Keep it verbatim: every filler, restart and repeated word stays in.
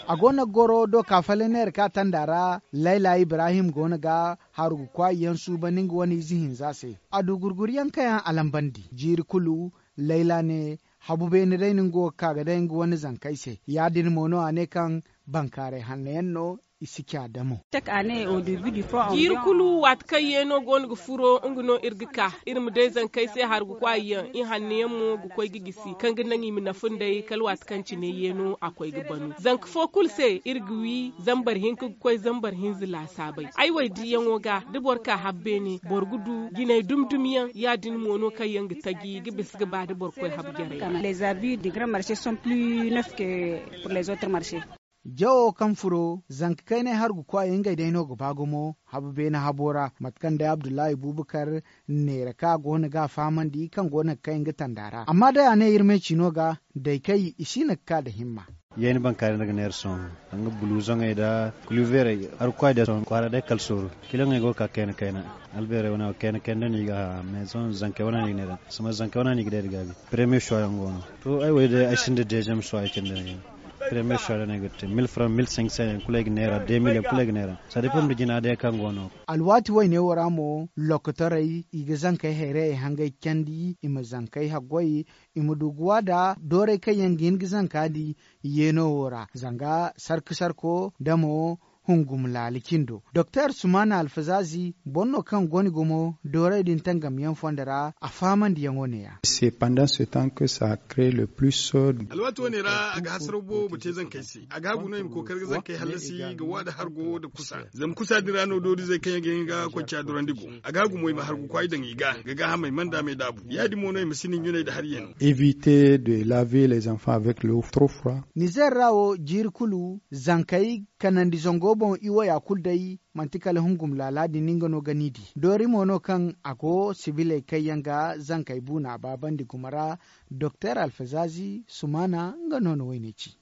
A go no ga goro doka falleneer ka tanda ra. Layla ibrahim go no ga haru ga kwaay yaŋ suuban nga wane ize hinza se. A du gurguryaŋ kaŋ yaŋ a lambandi jiiri kulu. Layla ne, habu beene day no nga go ga ka ga day nga wane zankey se. Ya- din mo no a ne kaŋ bankaaray hanno yaŋ no i si ca damo. Jiiri kulu waati kaŋ yeeno go no ga furo nga no iri ga ka iri ma day zankey se hargukwaay yaŋ i hanno yaŋ mo ga koy ga gisi kaŋ ga naŋ i ma nafa nd'ey kala waati kaŋ cine yeeno a koy ga banu zanka fo kulu se iri ga wi zambar hinka ga koy zambar hinza laasaabey. Ay wo ay diyaŋo ga da boro ka habbeene boro ga du jinay dumi dumi yaŋ ya- din mo no kaŋ yaŋ ga taji ga bisa ga ba da boro koy habu jarey ra. Jawo kaŋ furo zanka kaynay hargu kwaayey ngey day no ga ba gumo habu beene habo ra mate kaŋ day abdullahi bubakar neera kaŋ a go no ga a fahamandi kaŋ go no ga kay nga tanda ra amma day a ne iri me cino ga day kay i si no ga ka nda himma. Yeeni bankaaray nda ga neera sohõ danga buluzoŋey nda kuluveerey hargu kwaay day sohõ kwaara day kala sooru kiloŋey go ga ka kayna kayna. Albeerey wane wo kayna kayna no i ga a mais sohõ zankey wane no i ga neera zama zankey wane no i ga day nda gaabi. Premier choix yaŋ go no to ay wo day ay sinda deuxième choix ay cindi no yaŋ. Premier choix no ay ga te mille francs mille cinq cents yaŋ kulu ay ga neera deux mille yaŋ kulu ay ga neera. Sadi fo nda jina day kaŋ go no. Alwaati wayne wo ra mo lokotorey i ga zankey hayrayey hangay candi i ma zankey haggoy i ma du ga wa nda dooray kaŋ yaŋ ga hin ga zanka di yeeno wo ra zanga sarka sarko nda mo hungum laali cindo doktor sumana alfazaazi boro no kaŋ go ni gumo dooray din tangamyaŋ fondo ra a fahamandiyaŋo ne- ya. Alwaati wane ra a ga hasaraw boobo te zankey se a ga hagu no i ma kookari ga zankey hallasi ga wa nda hargo nda kusa zama kusa din ra no doorizey kaŋ yaŋ ga hin ga koy caadurandi go. A ga hagu mo i ma hargu kwaay daŋ i ga ga gaahamey manda me daabu ya- din mo no i ma si ni ɲunay nda hari yaŋ. Evite de laver les enfants avec l'eau trop froid. Nizer ra wo jiiri kulu zankey kanandi zango boŋ i waya kulu day manti kala hungum laala din nga no ga ni di doori mo no kaŋ a go sibiley kaŋ yaŋ ga zankey buuna baabandi gumo ra. Doktor alfazaazi sumaana nga no na wayne ci.